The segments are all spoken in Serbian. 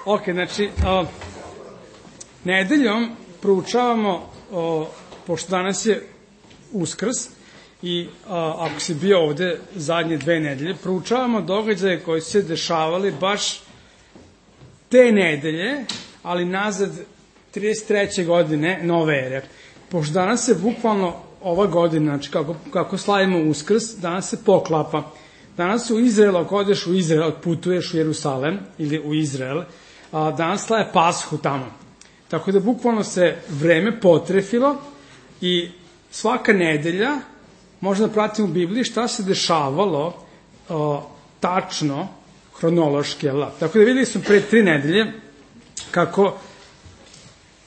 Ok, znači, nedeljom proučavamo, pošto danas je Uskrs i ako si bio ovde zadnje 2 nedelje, proučavamo događaje koji su se dešavali baš te nedelje, ali nazad 33. godine nove ere. Pošto danas se bukvalno ova godina, znači kako slavimo Uskrs, danas se poklapa. Danas u Izraelu, ako odeš u Izrael, putuješ u Jerusalem ili u Izrael, danas slave Pashu tamo. Tako da bukvalno se vreme potrefilo i svaka nedelja možda da pratimo u Bibliji šta se dešavalo tačno, hronološki. Tako da videli smo pre 3 nedelje kako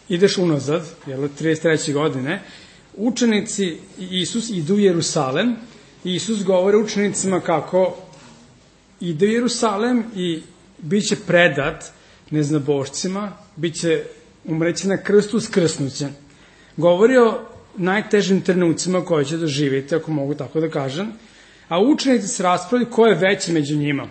ideš unazad, 33. godine, učenici i Isus idu u Jerusalem i Isus govori učenicima kako ide u Jerusalem i bit će predat neznabošcima, umreće na krstu, skrsnuće. Govori o najtežim trenucima koje će doživjeti, ako mogu tako da kažem, a učenici se raspravljaju ko je veći među njima.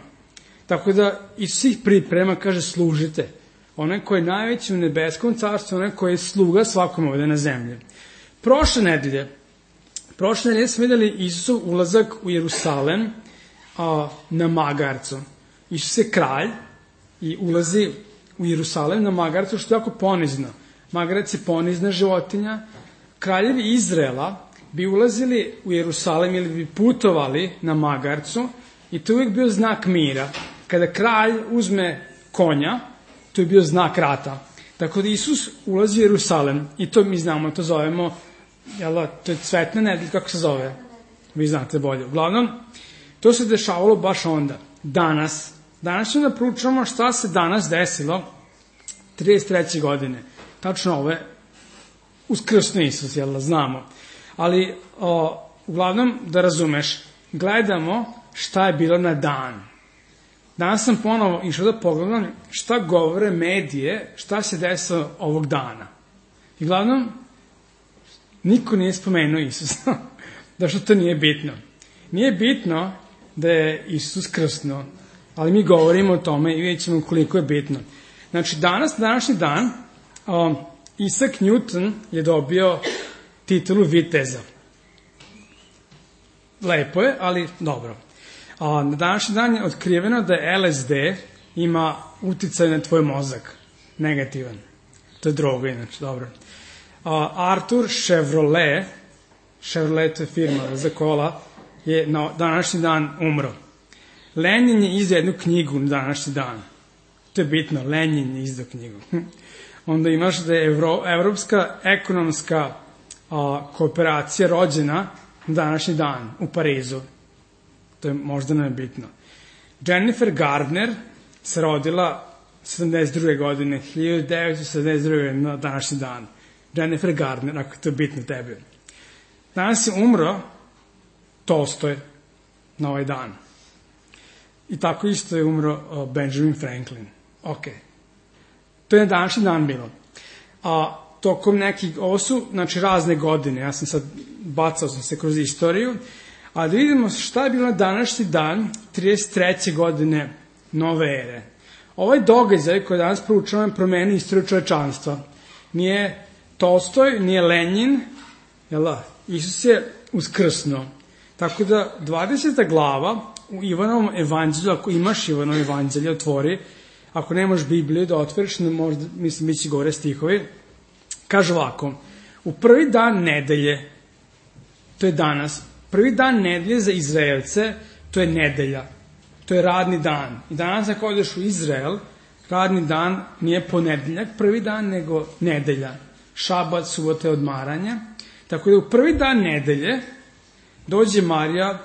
Tako da Isus ih priprema, kaže, služite. Onaj koji je najveći u nebeskom carstvu, onaj koji je sluga svakom ovde na zemlji. Prošle nedelje smo videli Isusov ulazak u Jerusalem na magarcu. Isus je kralj i ulazi u Jerusalem na magarcu, što je jako ponizno. Magarac je ponizna životinja. Kraljevi Izraela bi ulazili u Jerusalem ili bi putovali na magarcu i to je uvijek bio znak mira. Kada kralj uzme konja, to je bio znak rata. Tako da Isus ulazi u Jerusalem i to mi znamo, to zovemo, to je cvetna nedelja, kako se zove? Vi znate bolje. Uglavnom, to se dešavalo baš onda. Danas ćemo da proučavamo šta se danas desilo 33. godine. Tačno ove uskrsno Isus, znamo. Ali, uglavnom, da razumeš, gledamo šta je bilo na dan. Danas sam ponovo išao da pogledam šta govore medije, šta se desilo ovog dana. I uglavnom, niko nije spomenuo Isusa, da što to nije bitno. Nije bitno da je Isus krsno, ali mi govorimo o tome i vidjet ćemo koliko je bitno. Znači, današnji dan, Isaac Newton je dobio titulu viteza. Lepo je, ali dobro. Na današnji dan je otkriveno da je LSD ima uticaj na tvoj mozak. Negativan. To je droga, inače, dobro. Arthur Chevrolet to je firma za kola, je na današnji dan umro. Lenin je izdao jednu knjigu na današnji dan. To je bitno, Lenin je izdao knjigu. Onda imaš da je Evropska ekonomska kooperacija rođena na današnji dan u Parizu. To je možda nebitno. Jennifer Gardner se rodila 72. godine, 1972. na današnji dan. Jennifer Gardner, ako to je bitno tebi. Danas je umro Tolstoj na ovaj dan. I tako isto je umro Benjamin Franklin. Ok. To je na današnji dan bilo. Tokom nekih, ovo su, znači, razne godine, ja sam sad, bacao sam se kroz istoriju, a da vidimo šta je bilo na današnji dan 33. godine nove ere. Ovaj događaj koji danas proučavamo promeni istoriju čovečanstva. Nije Tolstoj, nije Lenin, Isus je uskrsno. Tako da 20. glava u Ivanovom evanđelju, ako imaš Ivanovo evanđelje, otvori, ako nemaš Bibliju da otvoriš, možda, mislim, bit će gore stihovi, kaže ovako, u prvi dan nedelje, to je danas, prvi dan nedelje za Izraelce, to je nedelja, to je radni dan. I danas ako odeš u Izrael, radni dan nije ponedeljak, prvi dan, nego nedelja. Šabat, subota je odmaranja. Tako da u prvi dan nedelje dođe Marija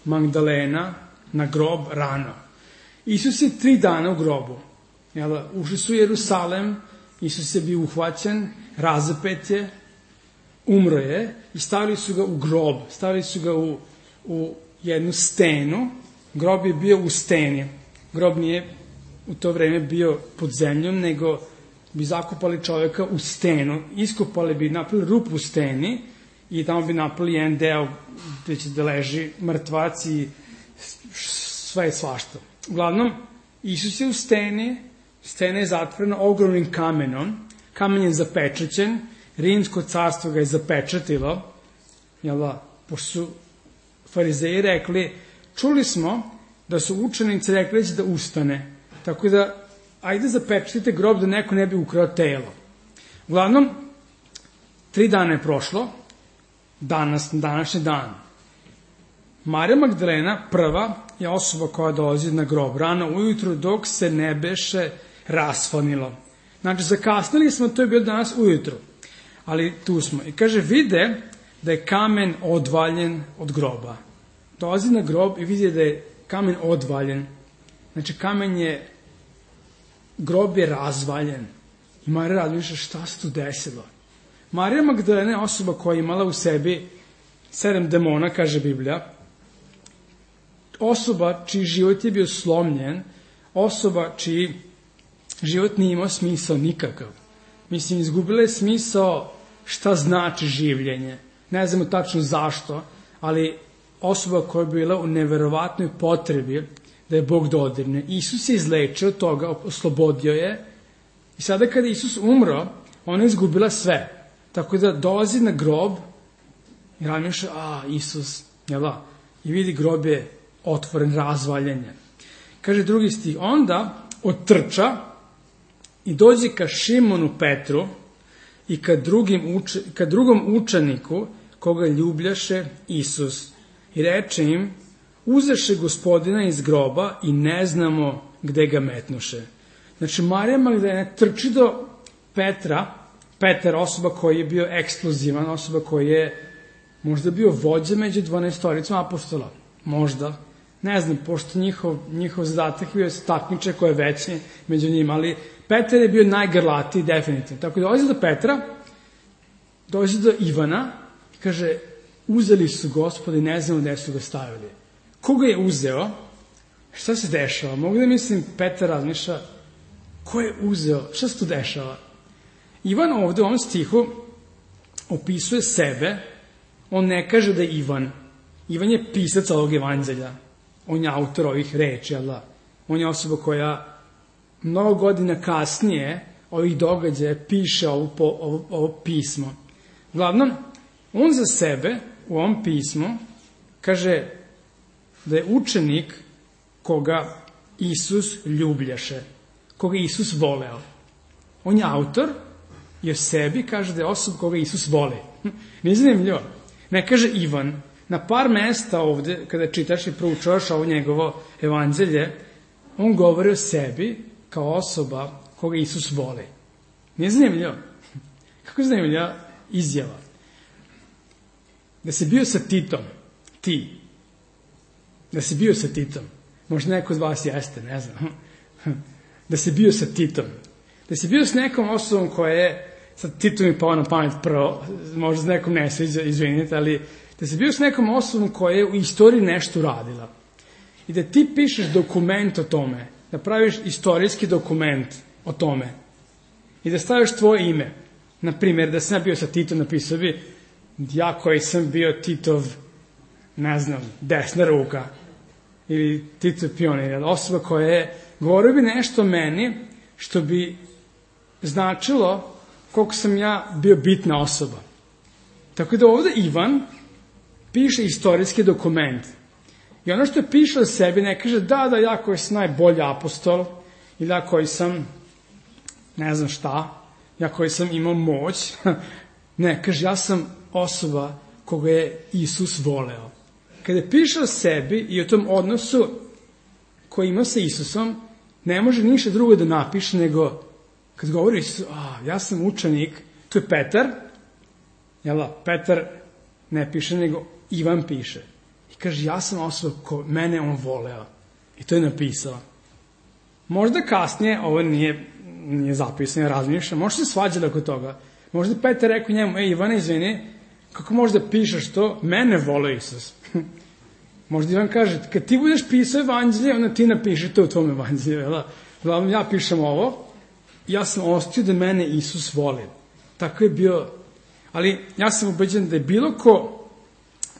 Magdalena na grob rano. Isus je 3 dana u grobu. Ušli su u Jerusalem, Isus je bio uhvaćen, razapet je, umro je i stavili su ga u grob, stavili su ga u jednu stenu. Grob je bio u steni. Grob nije u to vreme bio pod zemljom, nego bi zakopali čovjeka u stenu, iskopali bi, napravili rupu u steni i tamo bi napravili jedan deo gde će da leži mrtvac i sve svašta. Uglavnom, Isus je u steni, stena je zatvorena ogromnim kamenom, kamen je zapečaćen, Rimsko carstvo ga je zapečatilo, jel da, pošto su farizeji rekli, čuli smo da su učenici rekli da će da ustane, tako da ajde zapečatite grob da neko ne bi ukrao telo. Uglavnom, 3 dana je prošlo, današnji dan. Marija Magdalena, prva, je osoba koja dolazi na grob rano ujutru dok se ne beše rasvanilo. Znači, zakasnili smo, to je bilo danas ujutru, ali tu smo. I kaže, vide da je kamen odvaljen od groba. Dolazi na grob i vidi da je kamen odvaljen. Znači, grob je razvaljen. I Marija razmišlja, šta se tu desilo? Marija Magdalena je osoba koja je imala u sebi 7 demona, kaže Biblija. Osoba čiji život je bio slomljen, osoba čiji život nije imao smisao nikakav. Mislim, izgubila je smisao šta znači življenje. Ne znamo tačno zašto, ali osoba koja je bila u neverovatnoj potrebi da je Bog dodirne. Isus je izlečio od toga, oslobodio je. I sada kada Isus umro, ona je izgubila sve. Tako da dolazi na grob i razmišlja, Isus, jel da? I vidi grob je otvoren, razvaljen je. Kaže 2. stih, onda otrča i dođe ka Šimonu Petru i ka drugom učeniku koga ljubljaše Isus. I reče im, uzeše Gospodina iz groba i ne znamo gde ga metnuše. Znači, Marija Magdalena trči do Petra, Petar, osoba koji je bio eksplozivan, osoba koji je možda bio vođa među 12 apostola. Možda. Ne znam, pošto njihov zadatak bio takmiče koje je veći među njima, ali Petar je bio najgrlatiji, definitivno. Tako da dolazi do Petra, dolazi do Ivana i kaže, uzeli su Gospoda i ne znamo gde su ga stavili. Ko ga je uzeo? Šta se dešava? Mogu da mislim, Petar razmišlja, ko je uzeo? Šta se tu dešava? Ivan ovde u ovom stihu opisuje sebe, on ne kaže da je Ivan. Ivan je pisac ovog evanđelja. On je autor ovih reči, jel da? On je osoba koja mnogo godina kasnije ovih događaja piše ovo pismo. Uglavnom, on za sebe u ovom pismu kaže da je učenik koga Isus ljubljaše, koga Isus voleo. On je autor i o sebi kaže da je osoba koga Isus voli. Nije zanimljivo. Ne kaže Ivan. Na par mesta ovde, kada čitaš i proučavaš ovo njegovo evanđelje, on govori o sebi kao osoba koga Isus voli. Nije zanimljivo? Kako je zanimljiva izjava? Da si bio sa Titom, ti. Da si bio sa Titom. Možda neko od vas jeste, ne znam. Da si bio sa Titom. Da si bio s nekom osobom koja je, sad Titom mi pao na pamet prvo, možda s nekom ne sviđa, izvinite, ali da si bio s nekom osobom koja je u istoriji nešto uradila. I da ti pišeš dokument o tome, da praviš istorijski dokument o tome i da staviš tvoje ime. Naprimjer, da sam ja bio sa Titom, napisao bi, ja koji sam bio Titov, ne znam, desna ruka, ili Titov pionir, osoba koja je, govorio bi nešto o meni, što bi značilo koliko sam ja bio bitna osoba. Tako da ovde Ivan piše istorijski dokument. I ono što je piše o sebi ne kaže da ja koji sam najbolji apostol, ili ja koji sam, ne znam šta, ja koji sam imao moć. Ne, kaže ja sam osoba koga je Isus voleo. Kada piše o sebi i o tom odnosu koji ima sa Isusom, ne može ništa drugo da napiše nego kad govori Isus, ja sam učenik, to je Petar, jel da, Petar ne piše nego Ivan piše. I kaže, ja sam osoba ko mene on voleo. I to je napisao. Možda kasnije, ovo nije zapisano, ja razmišljam, možda se svađali oko toga. Možda Petar rekao njemu, Ivane, izvini, kako možda pišeš to, mene voleo Isus. Možda Ivan kaže, kad ti budeš pisao evanđelje, onda ti napiši to u tvom evanđelju. Uglavnom, ja pišem ovo, ja sam ostio da mene Isus voli. Tako je bio, ali ja sam ubeđen da je bilo ko,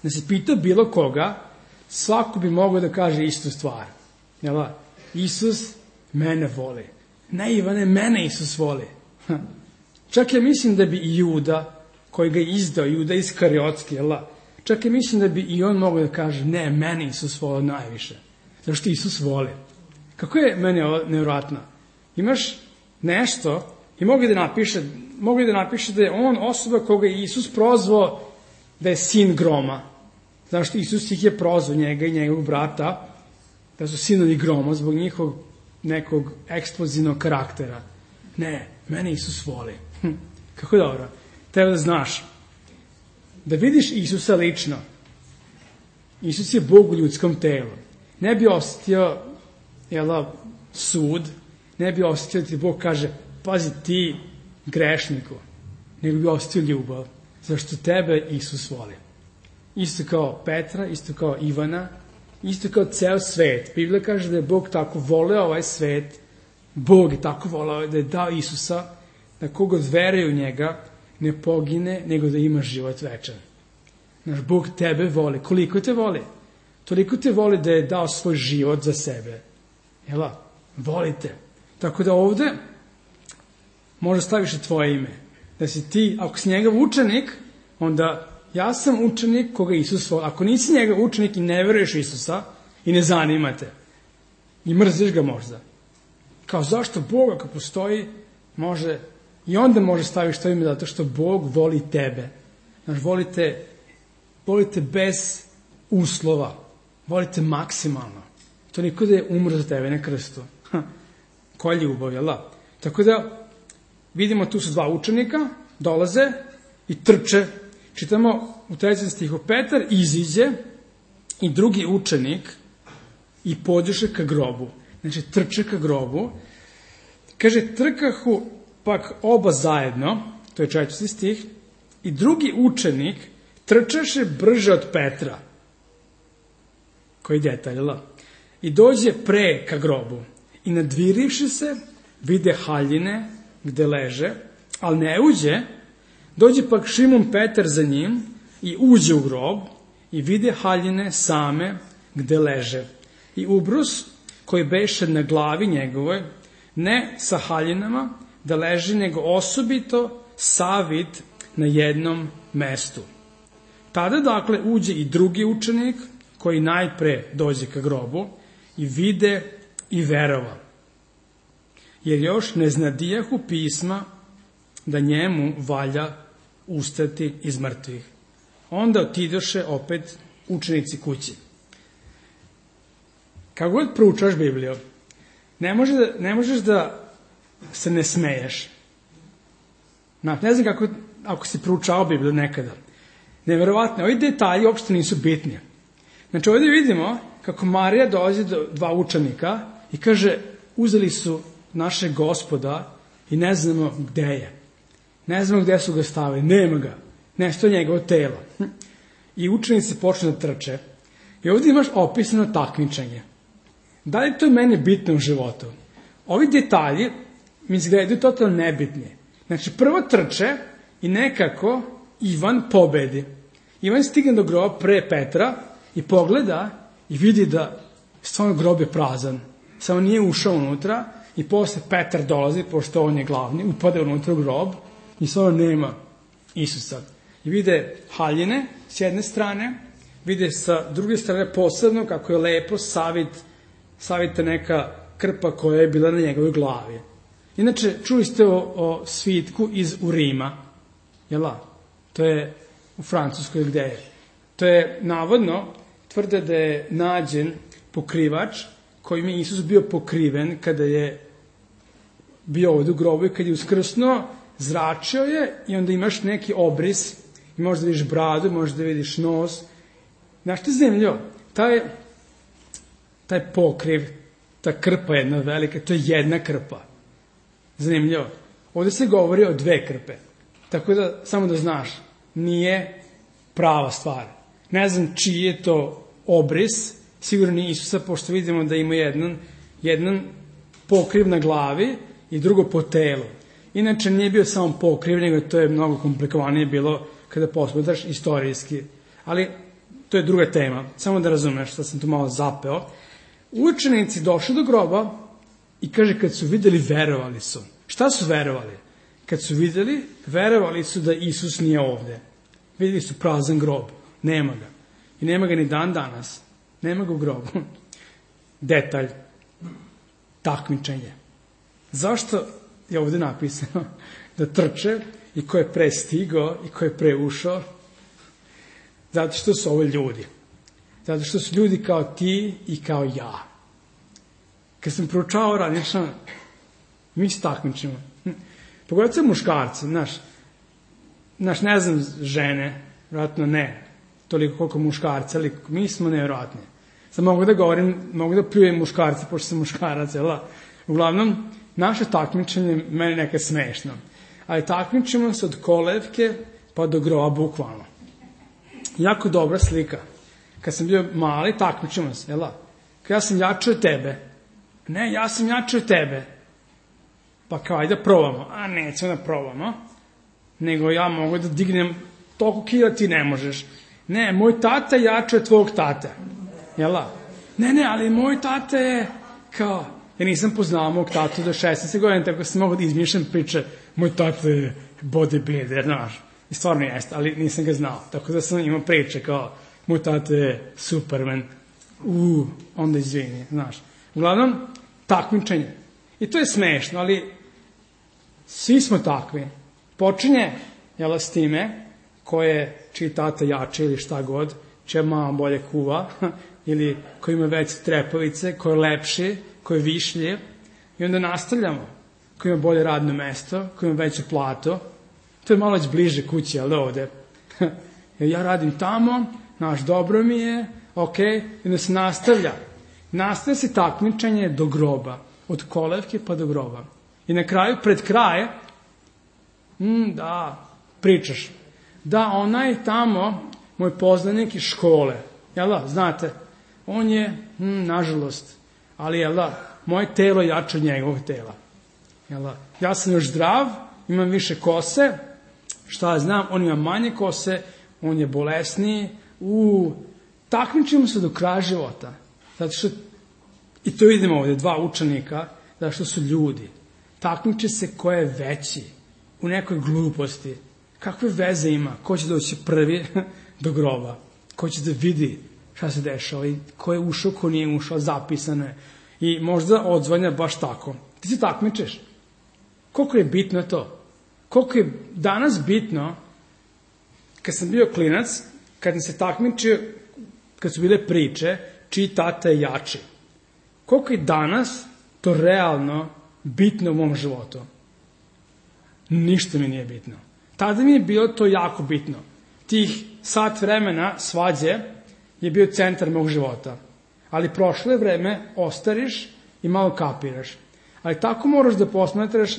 da se pita bilo koga, svako bi mogao da kaže istu stvar. Isus mene voli. Ne, Ivane, mene Isus voli. Čak ja mislim da bi i Juda, koji ga je izdao, Juda Iskariotski, čak ja mislim da bi i on mogao da kaže, ne, mene Isus voli najviše. Zato što Isus voli. Kako je meni ovo nevjerojatno? Imaš nešto i mogu da napiše da je on osoba koga je Isus prozvao da je sin groma. Zato što Isus ih je prozvao, njega i njegovog brata, da su sinovi groma zbog njihovog nekog eksplozivnog karaktera. Ne, mene Isus voli. Kako dobro. Treba da znaš. Da vidiš Isusa lično. Isus je Bog u ljudskom telu. Ne bi osetio sud, ne bi osetio da ti Bog kaže, pazi ti grešniku, nego bi osetio ljubav. Zašto tebe Isus voli. Isto kao Petra, isto kao Ivana, isto kao ceo svet. Biblija kaže da je Bog tako voleo ovaj svet, Bog je tako voleo da je dao Isusa, da kogod veruje u njega ne pogine, nego da ima život večan. Naš Bog tebe voli. Koliko te voli? Toliko te voli da je dao svoj život za sebe. Volite. Tako da ovde možda staviš i tvoje ime. Da si ti, ako si njegov učenik, onda ja sam učenik koga Isus voli. Ako nisi njegov učenik i ne veruješ Isusa i ne zanimate i mrziš ga možda. Kao zašto Bog ako postoji može i onda može staviš to ime zato što Bog voli tebe. Znaš, volite bez uslova. Volite maksimalno. To niko da je umro za tebe na krstu. Koja ljubav, jel da? Tako da vidimo tu su dva učenika, dolaze i trče. Čitamo u 3. stihu, Petar iziđe i drugi učenik i pođeše ka grobu. Znači, trče ka grobu. Kaže, trkahu pak oba zajedno, to je 4. stih, i drugi učenik trčaše brže od Petra. Koji detalj, i dođe pre ka grobu. I nadvirivši se, vide haljine gde leže, ali ne uđe, dođe pak Šimon Petar za njim i uđe u grob i vide haljine same gde leže. I ubrus koji beše na glavi njegove, ne sa haljinama da leži, nego osobito savit na jednom mestu. Tada dakle uđe i drugi učenik koji najpre dođe ka grobu i vide i verova. Jer još ne znadijahu pisma da njemu valja ustati iz mrtvih. Onda otidoše opet učenici kući. Kako god proučaš Bibliju, ne možeš da se ne smeješ. Ne znam kako, ako si proučao Bibliju nekada. Neverovatno, ovi detalji uopšte nisu bitni. Znači ovdje vidimo kako Marija dolazi do dva učenika i kaže, uzeli su našeg Gospoda i ne znamo gde je. Ne znamo gde su ga stavili, nema ga. Nešto je njegovo telo. I učenici počnu da trče. I ovdje imaš opisano takmičenje. Da li to meni bitno u životu? Ovi detalji mi izgledaju totalno nebitni. Znači prvo trče i nekako Ivan pobedi. Ivan stigne do groba pre Petra i pogleda i vidi da stvarno grob je prazan. Samo nije ušao unutra i posle Petar dolazi, pošto on je glavni, upade unutra u grob i stvarno nema Isusa. I vide haljine s jedne strane, vide sa druge strane posebno kako je lepo savita neka krpa koja je bila na njegovoj glavi. Inače, čuli ste o svitku iz Urima, jel'a? To je u Francuskoj gde je. To je navodno, tvrde da je nađen pokrivač kojim je Isus bio pokriven kada je bio ovdje u grobu i kad je uskrsnuo, zračio je i onda imaš neki obris i možda vidiš bradu, možda vidiš nos. Znaš što je zanimljivo? Taj pokriv, ta krpa jedna velika, to je jedna krpa. Zanimljivo. Ovdje se govori o dve krpe. Tako da, samo da znaš, nije prava stvar. Ne znam čiji je to obris, sigurno nije Isusa, pošto vidimo da ima jedan pokriv na glavi i drugo po telu. Inače, nije bio samo pokriv, nego to je mnogo komplikovanije bilo kada posmatraš istorijski. Ali, to je druga tema. Samo da razumeš što sam tu malo zapeo. Učenici došli do groba I kaže, kad su videli, verovali su. Šta su verovali? Kad su videli, verovali su da Isus nije ovde. Videli su prazan grob. Nema ga. I nema ga ni dan danas. Nema ga u grobu. Detalj. Takmičenje. Zašto je ovde napisano da trče i ko je pre stigao i ko je pre ušao? Zato što su ovo ljudi. Zato što su ljudi kao ti i kao ja. Kad sam proučavao radično, mi se takmičimo. Pogotovo se muškarci, znaš, ne znam žene, vjerojatno ne, toliko koliko muškarci, ali mi smo nevjerojatni. Sad mogu da govorim, mogu da pljujem muškarci, pošto sam muškarac, jel da? Uglavnom, naše takmičenje meni nekad smešno. Ali takmičimo se od kolevke pa do groba, bukvalno. Jako dobra slika. Kad sam bio mali, takmičimo se, jel da? Kad ja sam jači od tebe. Ne, ja sam jači od tebe. Pa kao, ajde da probamo. A nećemo da probamo. Nego ja mogu da dignem toliko kila, ti ne možeš. Ne, moj tata je jači od tvojeg tate. Jel da? Ne, ali moj tata je kao... Ja nisam poznao mog tatu do 16 godina, tako sam mogu da izmišljam priče. Moj tata je bodybuilder, znaš. I stvarno jeste, ali nisam ga znao. Tako da sam imao priče kao, moj tata je Superman. Onda izvini, znaš. Uglavnom, takmičenje. I to je smešno, ali svi smo takvi. Počinje, jel, s time, čiji tata jače ili šta god, čija mama bolje kuva, ili ko ima veće trepavice, ko je lepši, ko je višljiv, i onda nastavljamo. Ko ima bolje radno mesto, ko ima veću platu, to je malo već bliže kući, jel da ovde? Ja radim tamo, naš dobro mi je, okej, i onda se nastavlja. Nastavlja se takmičenje do groba, od kolevke pa do groba. I na kraju, pred kraj, da, pričaš, da, onaj tamo, moj poznanik iz škole, jel da, znate, on je, nažalost, ali jel da, moje telo je jače od njegovog tela. Jel da, ja sam još zdrav, imam više kose, šta ja znam, on ima manje kose, on je bolesniji, takmičimo se do kraja života. Zato što, i to vidimo ovde, dva učenika, zato što su ljudi. Takmiče se ko je veći, u nekoj gluposti. Kakve veze ima, ko će doći prvi do groba, ko će da vidi šta se dešava i ko je ušao, ko nije ušao, zapisano je. I možda odzvanja baš tako. Ti se takmičeš. Koliko je bitno to? Koliko je danas bitno, kad sam bio klinac, kad sam se takmičio, kad su bile priče, čiji tata je jači. Koliko je danas to realno bitno u mom životu? Ništa mi nije bitno. Tada mi je bilo to jako bitno. Tih sat vremena svađe je bio centar mog života. Ali prošlo je vreme, ostariš i malo kapiraš. Ali tako moraš da posmatraš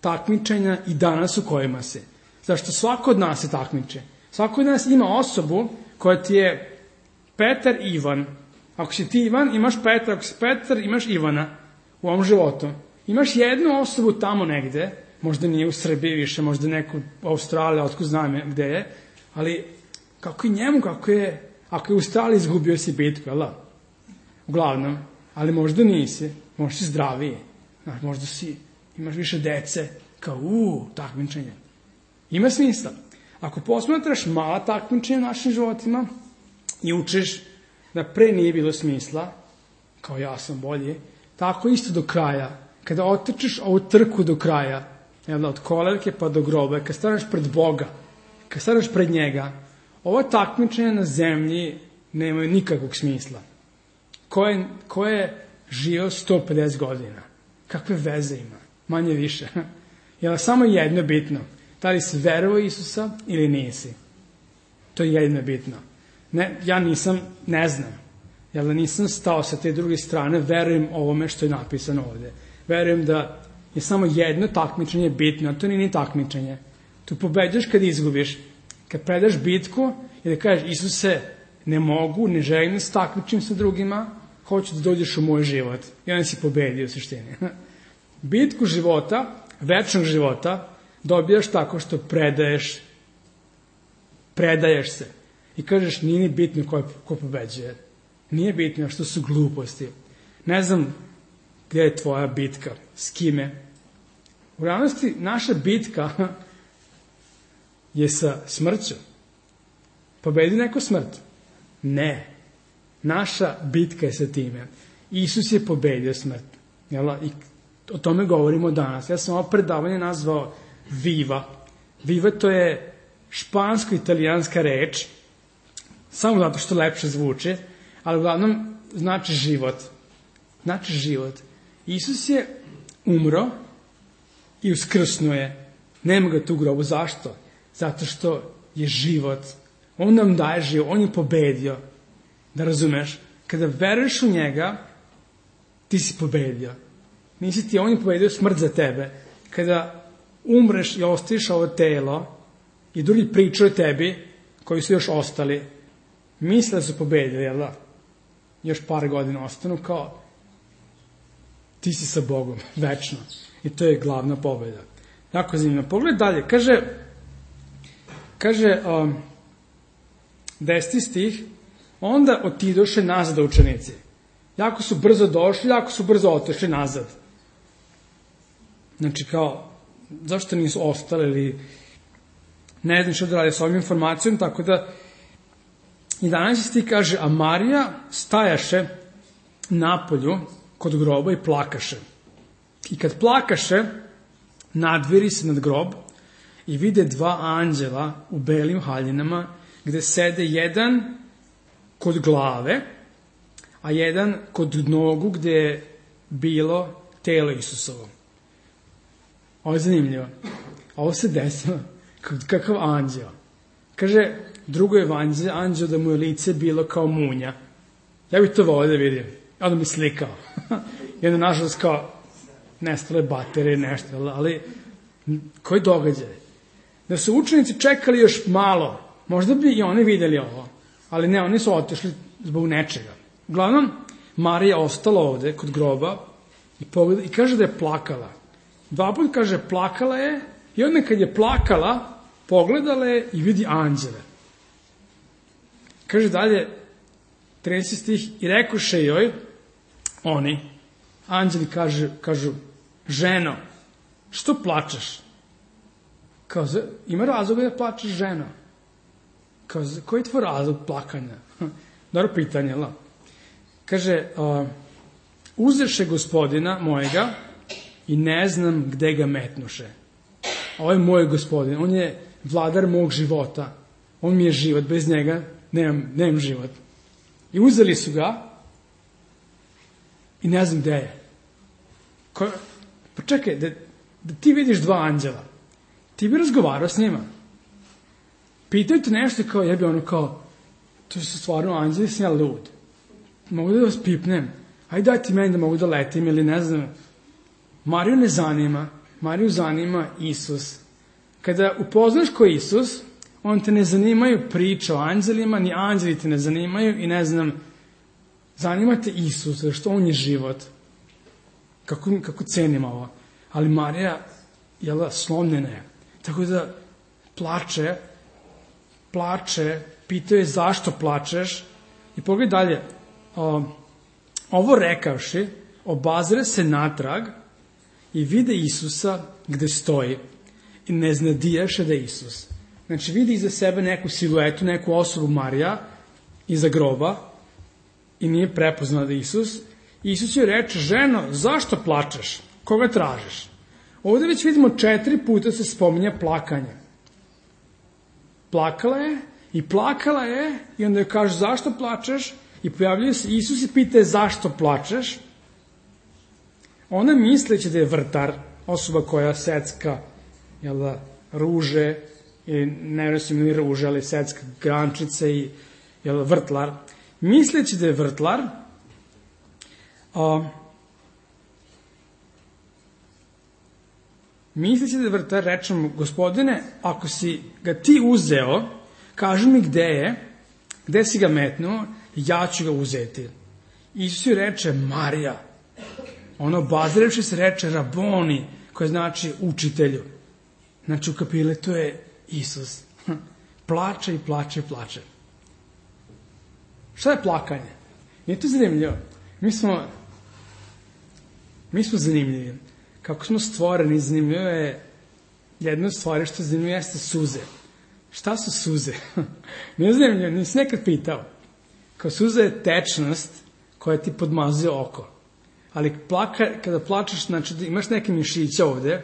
takmičenja i danas u kojima si. Zašto svako od nas se takmiče. Svako od nas ima osobu koja ti je Petar i Ivan. Ako si ti Ivan, imaš Petra. Ako si Petar, imaš Ivana u ovom životu. Imaš jednu osobu tamo negde, možda nije u Srbiji više, možda neku u Australiji, otko znam gde je, ali kako i njemu, ako je u Australiji izgubio si bitku, jel da? Uglavnom, ali možda nisi, možda si zdraviji, možda imaš više dece, kao takmičenje. Ima smisla. Ako posmatraš mala takmičenja u našim životima i učiš da pre nije bilo smisla, kao ja sam bolji, tako isto do kraja. Kada otrčiš ovu trku do kraja, od kolevke pa do groba, kad staneš pred Boga, kad staneš pred njega, ova takmičenja na zemlji nemaju nikakvog smisla. Ko je živio 150 godina? Kakve veze ima? Manje više. Jer samo jedno bitno. Da li si verovao Isusa ili nisi? To je jedno bitno. Ja ne znam. Jer da nisam stao sa te druge strane, verujem ovome što je napisano ovde. Verujem da je samo jedno takmičenje bitno, a to nije ni takmičenje. Tu pobeđaš kad izgubiš. Kad predaš bitku i da kažeš, Isuse, ne mogu, ne želim da se takmičim sa drugima, hoću da dođeš u moj život. I onda si pobedio u suštini. Bitku života, večnog života, dobijaš tako što predaješ se. I kažeš, nije ni bitno ko pobeđuje. Nije bitno što su gluposti. Ne znam gde je tvoja bitka, s kime? U realnosti, naša bitka je sa smrću. Pobedi neko smrt? Ne. Naša bitka je sa time. Isus je pobedio smrt. I o tome govorimo danas. Ja sam ovo predavanje nazvao Viva. Viva to je špansko-italijanska reč, samo zato što lepše zvuči, ali uglavnom znači život. Znači život. Isus je umro i uskrsnuo je. Nema ga tu u grobu. Zašto? Zato što je život. On nam daje život. On je pobedio. Da razumeš? Kada veruješ u njega, ti si pobedio. Nisi ti, on je pobedio smrt za tebe. Kada umreš i ostaviš ovo telo i drugi pričaju tebi, koji su još ostali, misle da su pobedili, jel da? Još par godina ostanu kao ti si sa Bogom, večno. I to je glavna pobeda. Jako zanimljivo. Pogled dalje. Kaže 10. stih, onda otidoše nazad učenici. Jako su brzo došli, jako su brzo otišli nazad. Znači kao, zašto nisu ostali ili ne znam što da radi s ovim informacijom, tako da 11. stih kaže, a Marija stajaše napolju kod groba i plakaše. I kad plakaše, nadviri se nad grob i vide dva anđela u belim haljinama, gde sede jedan kod glave, a jedan kod nogu gde je bilo telo Isusovo. Ovo je zanimljivo. Ovo se desilo. Kakav anđeo. Kaže, drugo evanđelje, anđeo da mu je lice bilo kao munja. Ja bih to volio da vidim. Ja da mi slikao. I onda, nažalost, kao nestale baterije, nešto, ali koji događaj? Da su učenici čekali još malo, možda bi i oni videli ovo, ali ne, oni su otišli zbog nečega. Uglavnom, Marija ostala ovde kod groba i kaže da je plakala. 2 puta kaže plakala je i onda kad je plakala, pogledala je i vidi anđele. Kaže dalje, 30. stih, i rekoše joj, oni, anđeli kažu, ženo, što plačeš? Kao, ima razloga da plačeš, ženo? Kao, koji je tvoj razlog plakanja? Dobro pitanje, la? Kaže, uzeše gospodina mojega i ne znam gde ga metnuše. Ovo je moj gospodin, on je vladar mog života. On mi je život, bez njega nemam život. I uzeli su ga i ne znam gde je. Pa čekaj, da ti vidiš 2 anđela, ti bi razgovarao s njima. Pitaju te nešto kao, jebi ono kao, to su stvarno anđeli, sam ja lud. Mogu da vas pipnem? Ajde daj ti meni da mogu da letim ili ne znam. Mariju ne zanima. Mariju zanima Isus. Kada upoznaš ko je Isus, on te ne zanimaju priče o anđelima, ni anđeli te ne zanimaju i ne znam, zanima te Isus, zato što on je život. Kako cenim ovo. Ali Marija, slomljena je. Tako da plače, pitao je zašto plačeš i pogledaj dalje. Ovo rekavši, obazre se natrag i vide Isusa gde stoji i ne znadijaše da je Isus. Znači vidi iza sebe neku siluetu, neku osobu Marija iza groba i nije prepoznala da je Isus. Isus joj reče, ženo, zašto plačeš? Koga tražiš? Ovde već vidimo 4 puta se spominja plakanje. Plakala je i onda joj kaže zašto plačeš i pojavljuje se Isus i pita zašto plačeš. Ona misleći da je vrtar, osoba koja secka ruže, ili ne mislim ni ruže, ali secka grančice i vrtlar. Misleći da je vrtlar, rečemo, gospodine, ako si ga ti uzeo, kaži mi gde si ga metnuo, ja ću ga uzeti. Isus joj reče, Marija. Ono, obazirevši se, reče, Raboni, koje znači učitelju. Znači, ukapile, to je Isus. Plače i plače i plače. Šta je plakanje? Nije to zanimljivo? Mi smo Mi smo zanimljivi. Kako smo stvoreni, zanimljivo je, jedna od stvari što je zanimljivo jeste suze. Šta su suze? Ne znam, nisi nekad pitao. Kao suza je tečnost koja ti podmazuje oko. Ali kada plačeš, znači imaš neke mišiće ovde.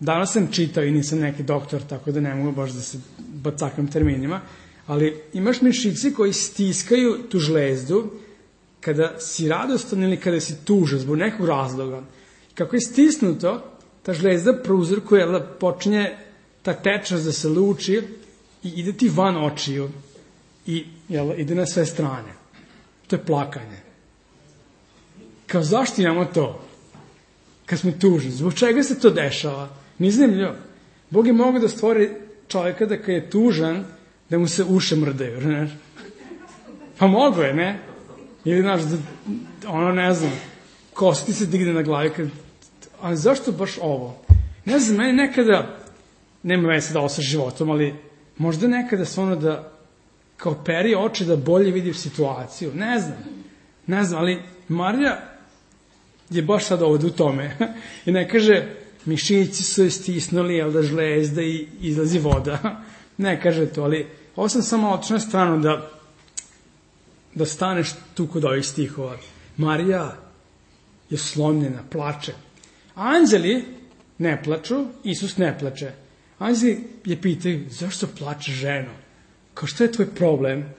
Danas sam čitao i nisam neki doktor, tako da ne mogu baš da se bacakam terminima, ali imaš mišići koji stiskaju tu žlezdu kada si radostan ili kada si tužan zbog nekog razloga. Kako je stisnuto, ta žlezda prouzrokuje, počinje ta tečnost da se luči i ide ti van očiju i ide na sve strane. To je plakanje. Kao zašto imamo to? Kad smo tužni. Zbog čega se to dešava? Nije zanimljivo. Bog je mogao da stvori čovjeka da kad je tužan, da mu se uše mrdaju. Ne? Pa mogo je, ne? Ili, znaš, ne znam, kosa ti se digne na glavi. Ali zašto baš ovo? Ne znam, meni nekada, nema veze da ovo sa životom, ali možda nekada stvarno da kao peri oči da bolje vidi situaciju. Ne znam, ali Marija je baš sad ovdje u tome. I ne kaže, mišići su je stisnuli, žlezda i izlazi voda. Ne kaže to, ali ovo sam samo otišao na stranu da staneš tu kod ovih stihova. Marija je slomljena, plače. Anđeli ne plaču, Isus ne plače. Anđeli je pitaju, zašto plače ženo? Kao što je tvoj problem?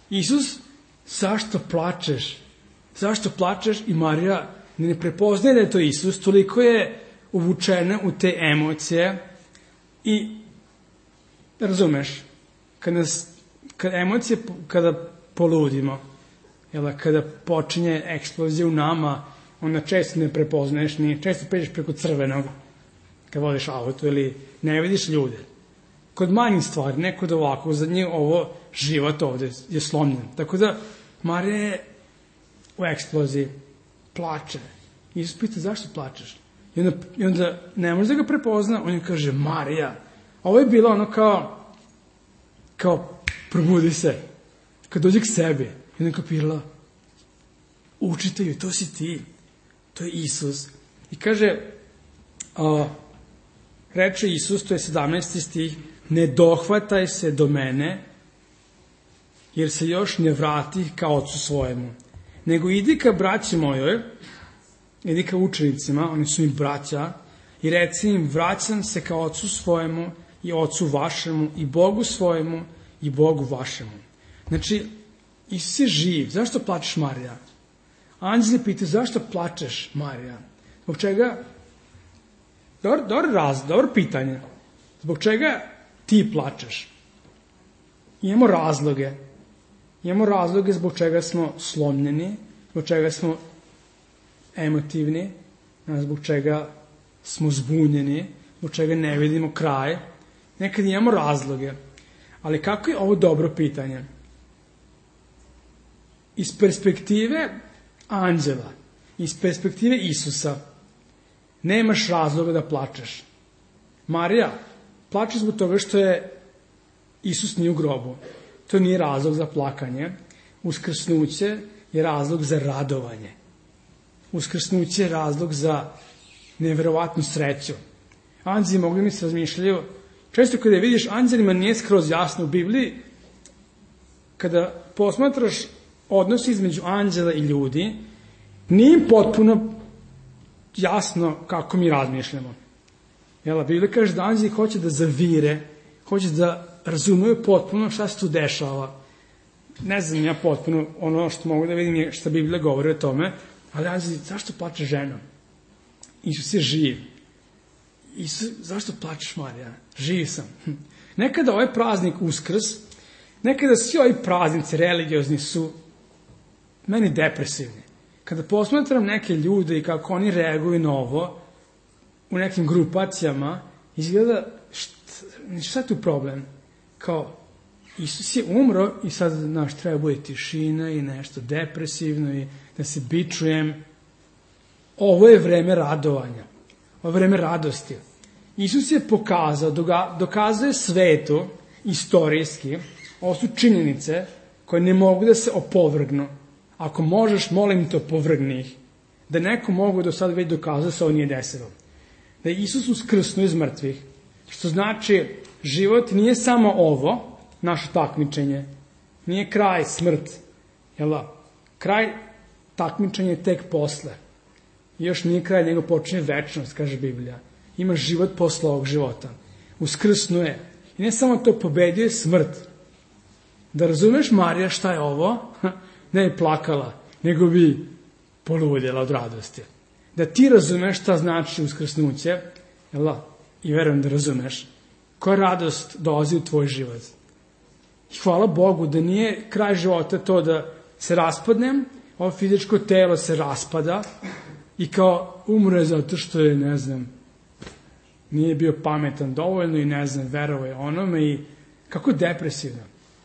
Isus, zašto plačeš? Zašto plačeš? I Marija ne prepoznaje da je to Isus, toliko je uvučena u te emocije i razumeš, kada poludimo, kada počinje eksplozija u nama, onda često ne prepoznaješ, često pređeš preko crvenog kad vodiš auto ili ne vidiš ljude. Kod manjih stvari, ne kod ovako, za njih ovo život ovde je slomljen. Tako da Marija je u eksploziji, plače. Isus pita zašto plačeš? I onda ne može da ga prepozna, on je kaže Marija. Ovo je bilo ono kao probudi se, kad dođe k sebi. I onda kapirala, učitelju, to si ti, to je Isus. I kaže, reče Isus, to je 17. stih, ne dohvataj se do mene, jer se još ne vrati ka ocu svojemu. Nego idi ka braći mojoj, idi ka učenicima, oni su mi braća, i reci im, vraćam se ka ocu svojemu i ocu vašemu, i Bogu svojemu i Bogu vašemu. Znači, Isus je živ. Zašto plačeš, Marija? Anđeli pitaju, zašto plačeš, Marija? Zbog čega? Dobro pitanje. Zbog čega ti plačeš? Imamo razloge. Imamo razloge zbog čega smo slomljeni, zbog čega smo emotivni, zbog čega smo zbunjeni, zbog čega ne vidimo kraj. Nekad imamo razloge. Ali kako je ovo dobro pitanje? Iz perspektive anđela, iz perspektive Isusa, nemaš razloga da plačeš. Marija plače zbog toga što je Isus nije u grobu. To nije razlog za plakanje. Uskrsnuće je razlog za radovanje. Uskrsnuće je razlog za neverovatnu sreću. Anđeli mogli mi se razmišljaju. Često kada vidiš anđelima nije skroz jasno u Bibliji. Kada posmatraš odnos između anđela i ljudi, nije im potpuno jasno kako mi razmišljamo. Biblija kaže da anđeli hoće da zavire, hoće da razumeju potpuno šta se tu dešava. Ne znam ja potpuno, ono što mogu da vidim je šta Biblija govori o tome, ali anđeli, zašto plače žena? Isus je živ. Isus, zašto plačeš, Marija? Živ sam. Nekada ovaj praznik Uskrs, nekada svi ovi praznici religiozni su meni depresivni. Kada posmatram neke ljude i kako oni reaguju na ovo, u nekim grupacijama, izgleda, šta je tu problem? Kao, Isus je umro i sad, treba bude tišina i nešto depresivno i da se bičujem. Ovo je vreme radovanja. Ovo je vreme radosti. Isus je pokazao, dokazuje svetu, istorijski, ovo su činjenice koje ne mogu da se opovrgnu. Ako možeš, molim te, opovrgni ih. da neko mogu do sada već dokazati se ovo nije desilo. Da je Isus uskrsnuo iz mrtvih, što znači život nije samo ovo, naše takmičenje, nije kraj smrt, jel da? Kraj takmičenja je tek posle. I još nije kraj, nego počinje večnost, kaže Biblija. Ima život posle ovog života. Uskrsnuo je. I ne samo to, pobedio je smrt. Da razumeš, Marija, šta je ovo? Ne je plakala, nego bi poludjela od radosti. Da ti razumeš šta znači uskrsnuće, jel da? I verujem da razumeš, koja radost dolazi u tvoj život. I hvala Bogu da nije kraj života to da se raspadnem, ovo fizičko telo se raspada i kao umre zato što je, ne znam, nije bio pametan dovoljno i ne znam, verovao je onome i kako depresivno.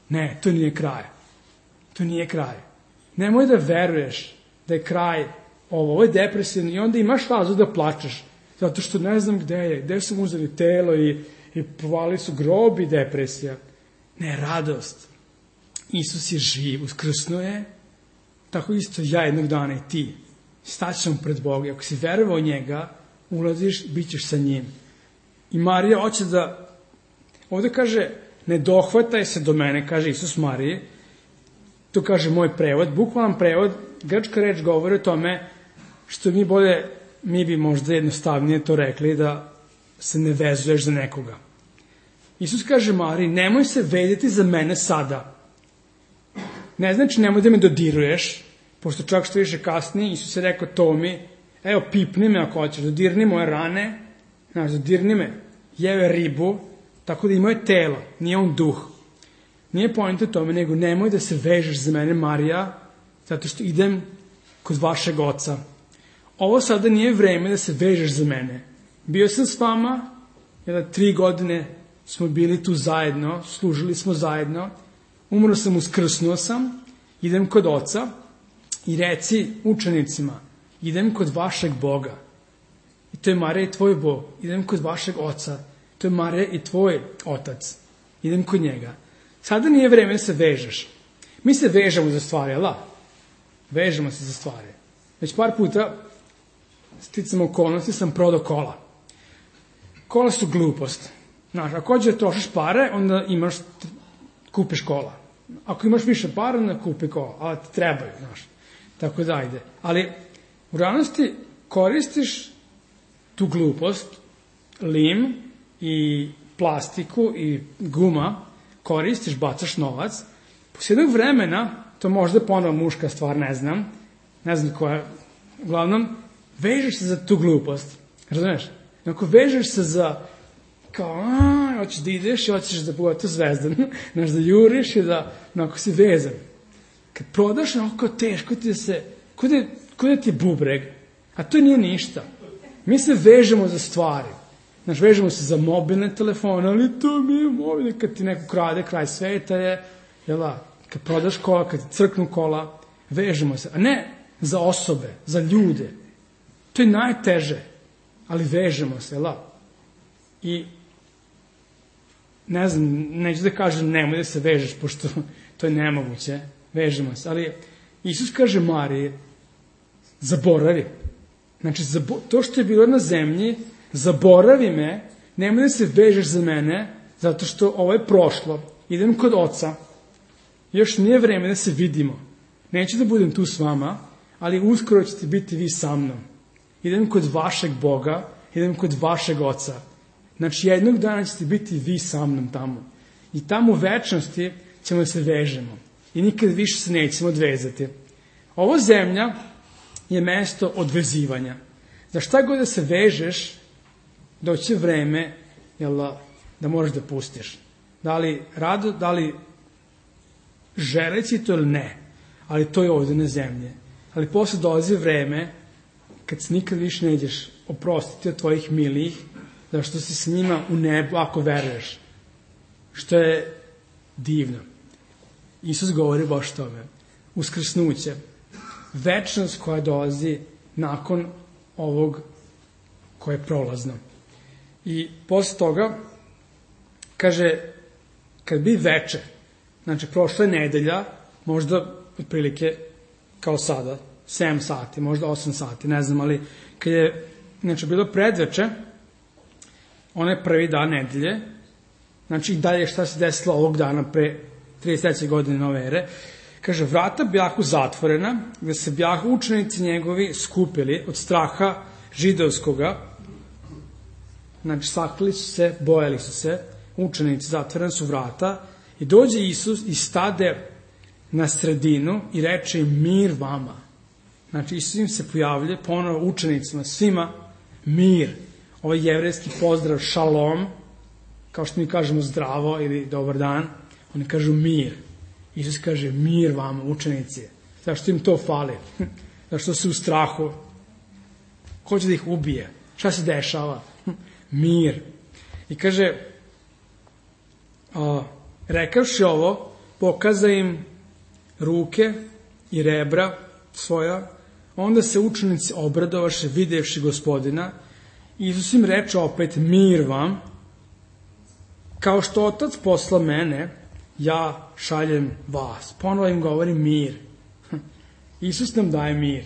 Ne, to nije kraj. To nije kraj. Nemoj da veruješ da je kraj ovo je depresivno i onda imaš razlog da plačeš. Zato što ne znam gde su mu uzeli telo i povali su grob i depresija. Ne, radost. Isus je živ, uskrsnuo je. Tako isto ja jednog dana i ti. Staćemo pred Boga. Ako si verovao njega, ulaziš, bit ćeš sa njim. I Marija hoće da, ovde kaže, ne dohvataj se do mene, kaže Isus Mariji. To kaže moj prevod. Bukvalan prevod, grčka reč govori o tome što mi bi možda jednostavnije to rekli, da se ne vezuješ za nekoga. Isus kaže Mariji, nemoj se vezati za mene sada. Ne znači nemoj da me dodiruješ, pošto čak što više kasnije, Isus je rekao Tomi, evo pipni me ako hoćeš, dodirni moje rane, dodirni me, jeve ribu, tako da i moje telo, nije on duh. Nije poenta tome, nego nemoj da se vežeš za mene, Marija, zato što idem kod vašeg oca. Ovo sada nije vreme da se vežeš za mene. Bio sam s vama, 3 godine smo bili tu zajedno, služili smo zajedno, umro sam, uskrsnuo sam, idem kod oca i reci učenicima, idem kod vašeg Boga. I to je Marija i tvoj Bog. Idem kod vašeg oca. To je Marija i tvoj otac. Idem kod njega. Sada nije vreme da se vežeš. Mi se vežemo za stvari, ali vežemo se za stvari. Već par puta sticam okolnosti sam prodao kola. Kola su glupost. Znaš, ako hoćeš da trošiš pare, onda kupiš kola. Ako imaš više para, onda kupi kola. Ali ti trebaju, znaš. Tako da ide. Ali u realnosti koristiš tu glupost, lim i plastiku i guma, koristiš, bacaš novac, posle jednog vremena, to možda ponovo muška stvar, ne znam koja, uglavnom, vežeš se za tu glupost, razumeš? Ako vežeš se za, kao, hoćeš da ideš i hoćeš da budete zvezdan, znaš, da juriš i da, ako si vezan. Kad prodaš, kao teško ti da se, ko da ti je bubreg, a to nije ništa. Mi se vežemo za stvari. Znaš, vežemo se za mobilne telefone, ali to mi je mobilne. Kad ti neko krade, kraj sveta je, kad prodaš kola, kad ti crknu kola, vežemo se. A ne za osobe, za ljude. To je najteže, ali vežemo se, I, ne znam, neću da kažem nemoj da se vežeš, pošto to je nemoguće, vežemo se. Ali Isus kaže Mariji, zaboravi. Znači, to što je bilo na zemlji, zaboravi me, nemoj da se vežeš za mene, zato što ovo je prošlo. Idem kod oca, još nije vreme da se vidimo. Neću da budem tu s vama, ali uskoro ćete biti vi sa mnom. Idem kod vašeg Boga, idem kod vašeg oca. Znači, jednog dana ćete biti vi sa mnom tamo. I tamo u večnosti ćemo da se vežemo. I nikad više se nećemo odvezati. Ovo zemlja je mesto odvezivanja. Za šta god da se vežeš, doće vreme da možeš da pustiš. Da li želeći to ili ne, ali to je ovde na zemlji. Ali posle dolazi vreme kad se nikad više ne ideš oprostiti od tvojih milijih, da što si s njima u nebu ako veruješ. Što je divno. Isus govori baš tome. Uskrsnuće. Večnost koja dolazi nakon ovog koje je prolazno. I posle toga kaže, kad bi veče, znači prošla je nedelja, možda otprilike kao sada, 7 sati, možda 8 sati, ne znam, ali kad je, znači, bilo predveče, onaj prvi dan nedelje, znači i dalje šta se desilo ovog dana pre 33. godine nove ere, kaže, vrata bjahu zatvorena, gde se bjahu učenici njegovi skupili od straha židovskoga, znači sakrili su se, bojali su se, učenici, zatvorena su vrata, i dođe Isus i stade na sredinu i reče im mir vama. Znači Isus im se pojavlja ponovo učenicima, svima mir. Ovaj jevrejski pozdrav šalom, kao što mi kažemo zdravo ili dobar dan, oni kažu mir. Isus kaže mir vama, učenici. Zašto im to fali? Zašto su u strahu? Hoće da ih ubije. Šta se dešava? Mir. I kaže, rekavši ovo, pokaza im ruke i rebra svoja, onda se učenici obradovaše videvši Gospodina. Isus im reče opet mir vam, kao što Otac posla mene, ja šaljem vas. Ponovo im govori mir. Isus nam daje mir.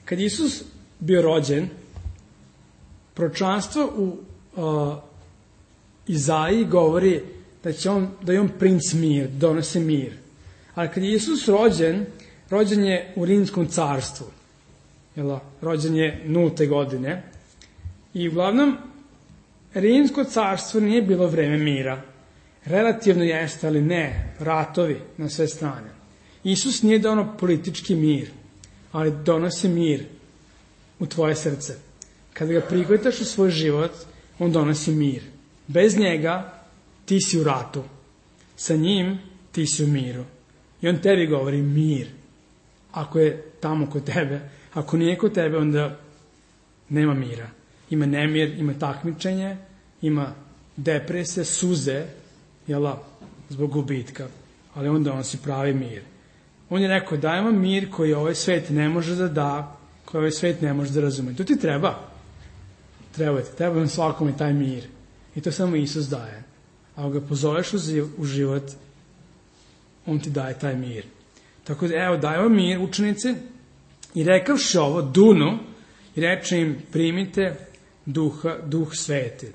Kad Isus bio rođen, proročanstvo u Izaiji govori da je on princ mir, donose mir. Ali kad je Isus rođen je u Rimskom carstvu. Rođen je 0. godine. I uglavnom, Rimsko carstvo nije bilo vreme mira. Relativno jeste, ali ne, ratovi na sve strane. Isus nije donao politički mir, ali donosi mir u tvoje srce. Kada ga prihvataš u svoj život, on donosi mir. Bez njega ti si u ratu. Sa njim ti si u miru. I on tebi govori mir. Ako je tamo kod tebe, ako nije kod tebe, onda nema mira. Ima nemir, ima takmičenje, ima depresije, suze, zbog gubitka. Ali on donosi pravi mir. On je rekao, daj vam mir koji ovaj svet ne može da da, koji ovaj svet ne može da razume. To ti treba. Treba vam svakome taj mir. I to samo Isus daje. A ako ga pozoveš u život, on ti daje taj mir. Tako da, evo, daje vam mir, učenici, i rekavši ovo, dunu, i reče im, primite duh sveti.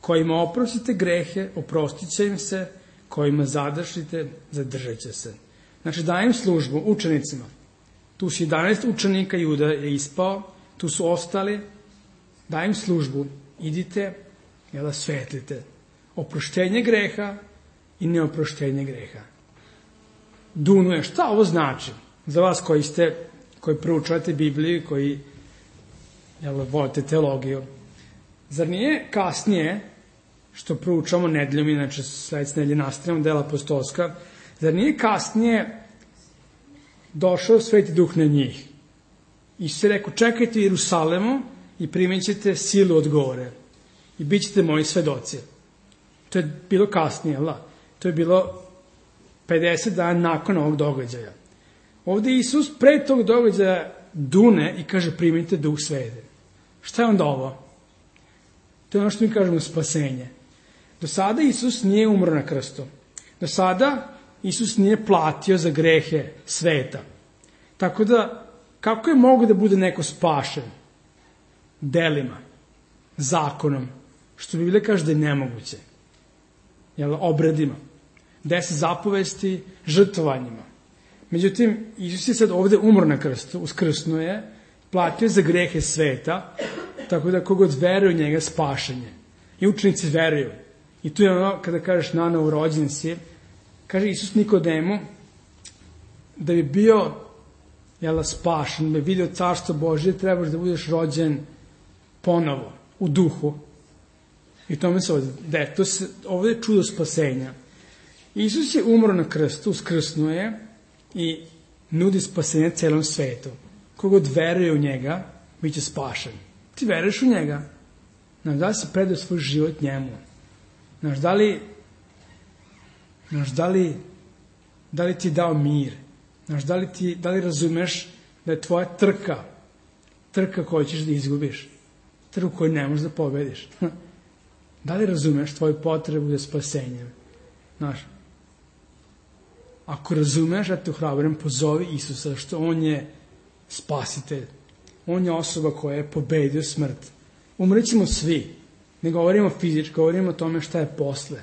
Kojima oprostite grehe, oprostit će im se, kojima zadržite, zadržat će se. Znači, dajem službu učenicima. Tu su 11 učenika, Juda je ispao, tu su ostali, dajem službu, idite, svetlite. Oproštenje greha i neoproštenje greha. Dunuje, šta ovo znači? Za vas koji proučavate Bibliju, koji volite teologiju. Zar nije kasnije, što proučavamo nedeljom, inače sledeće nedelje nastavljamo dela apostolska, zar nije kasnije došao Sveti Duh na njih? I se rekao, čekajte u Jerusalemu i primit ćete silu od gore. I bit ćete moji svedoci. To je bilo kasnije, to je bilo 50 dana nakon ovog događaja. Ovde Isus pre tog događaja dune i kaže primite Duh Sveti. Šta je onda ovo? To je ono što mi kažemo spasenje. Do sada Isus nije umro na krstu. Do sada Isus nije platio za grehe sveta. Tako da, kako je mogo da bude neko spašen? Delima, zakonom, što Biblija kaže da je nemoguće. Obredima, 10 zapovesti, žrtvovanjima. Međutim, Isus je sad ovde umro na krstu, uskrsnuo je, platio za grehe sveta, tako da kogod veruje u njega spašenje. I učenici veruju. I tu je ono, kada kažeš nanovo rođen si, kaže Isus Nikodemu, da bi bio spašen, da bi vidio carstvo Božje, trebaš da budeš rođen ponovo, u duhu. I tome se ovdje je čudo spasenja. Isus je umro na krstu, uskrsnuo je i nudi spasenje celom svetu. Kogod veruje u njega, bit će spašen. Ti veruješ u njega? Da li si predao svoj život njemu? Da li ti je dao mir? Da li razumeš da je tvoja trka koju ćeš da izgubiš? Trku koju ne možeš da pobediš? Da li razumeš tvoju potrebu za spasenjem? Ako razumeš, ja te ohrabrujem, pozovi Isusa, što on je spasitelj. On je osoba koja je pobedio smrt. Umrećemo svi. Ne govorimo fizički, govorimo o tome šta je posle.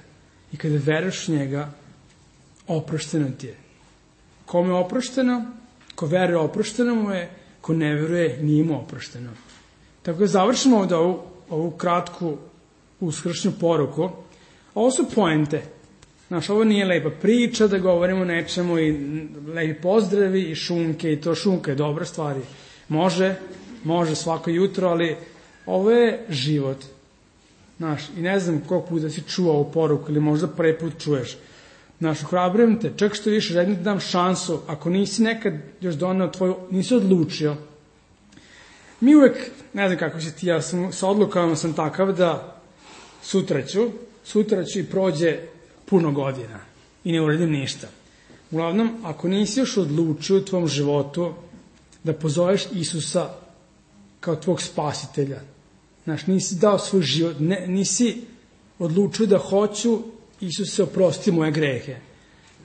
I kada veruješ u njega, oprošteno ti je. Kome je oprošteno? Ko veruje oprošteno mu je, ko ne veruje nije mu oprošteno. Tako da završimo ovdje ovu kratku uskršnju poruku. Ovo su poente. Znaš, ovo nije lepa priča da govorimo o nečemu i lepi pozdravi i šunke i to šunka je dobra stvar. Može svako jutro, ali ovo je život. Znaš, i ne znam koliko puta si čuo ovu poruku ili možda prvi put čuješ. Znaš, ohrabrujem te, čak što više, želim ti dam šansu, ako nisi nekad još doneo tvoju, nisi odlučio. Mi uvek, ne znam kako si ti, ja sam sa odlukama sam takav da sutra ću i prođe puno godina i ne uradim ništa. Uglavnom, ako nisi još odlučio u tvom životu da pozoveš Isusa kao tvog spasitelja, znaš, nisi dao svoj život, nisi odlučio da hoću Isuse oprosti moje grehe.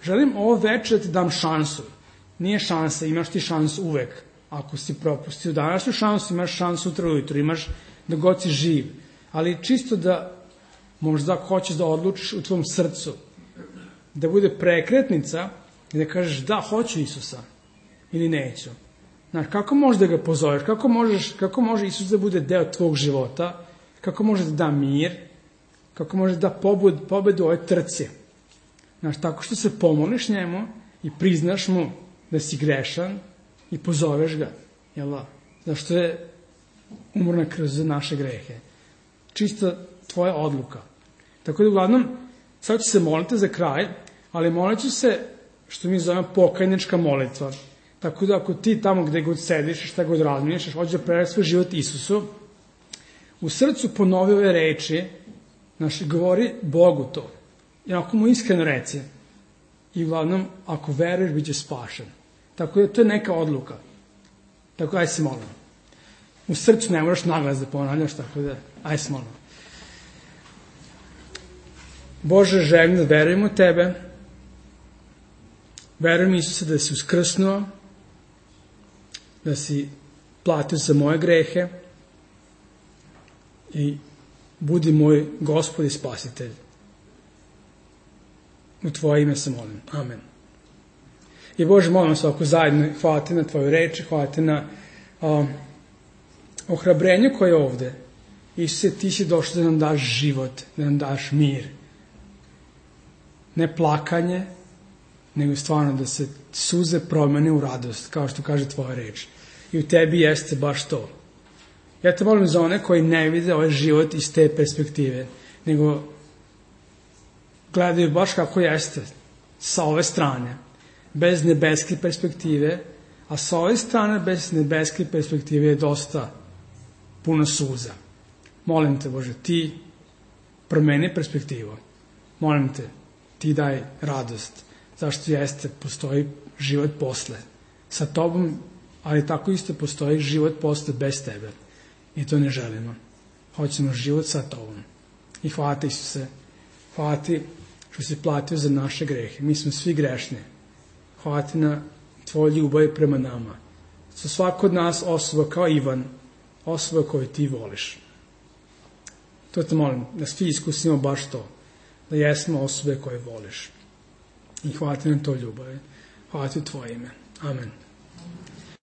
Želim ovo večer da ti dam šansu. Nije šansa, imaš ti šansu uvek. Ako si propustio današnju šansu, imaš šansu sutra ujutro, imaš da god si živ. Ali čisto da možda hoćeš da odlučiš u tvom srcu, da bude prekretnica i da kažeš da, hoću Isusa ili neću. Znaš, kako možeš da ga pozoveš, kako može Isus da bude deo tvog života, kako može da da mir, kako može da pobedu u ovoj trci. Znaš, tako što se pomoliš njemu i priznaš mu da si grešan i pozoveš ga, jel da? Zašto je umro na krst za naše grehe. Čisto tvoja odluka. Tako da uglavnom, sad ću se moliti za kraj, ali molit ću se, što mi zovemo pokajnička molitva. Tako da ako ti tamo gde god sediš i šta god razmišljaš, hoćeš da predaš svoj život Isusu, u srcu ponovi ove reči, znaš, govori Bogu to. I ako mu iskreno reci, i uglavnom, ako veruješ, bit će spašen. Tako da to je neka odluka. Tako da, aj se molim. U srcu ne moraš naglas da ponavljaš, tako da, aj se molim. Bože, želim da verujem u tebe. Verujem Isuse da si uskrsnuo, da si platio za moje grehe i budi moj Gospod i Spasitelj. U tvoje ime se molim. Amen. I Bože, molim se ovako zajedno, hvala ti na tvoju reči, hvala ti na ohrabrenju koje je ovde. Isuse, ti si došao da nam daš život, da nam daš mir. Ne plakanje, nego stvarno da se suze promene u radost, kao što kaže tvoja reč. I u tebi jeste baš to. Ja te molim za one koji ne vide ovaj život iz te perspektive, nego gledaju baš kako jeste, sa ove strane, bez nebeske perspektive, a sa ove strane, bez nebeske perspektive je dosta puno suza. Molim te, Bože, ti promeni perspektivu. Molim te, ti daj radost. Zašto jeste, postoji život posle. Sa tobom, ali tako isto postoji život posle bez tebe. I to ne želimo. Hoćemo život sa tobom. I hvala ti, Isuse. Hvala ti što si platio za naše grehe. Mi smo svi grešni. Hvala ti na tvoj ljubav prema nama. Za svako od nas osoba kao Ivan, osoba koju ti voliš. To te molim, da svi iskusimo baš to. Da jesmo osobe koje voliš. I hvala ti na to ljubav. Hvala ti u tvoje ime. Amen.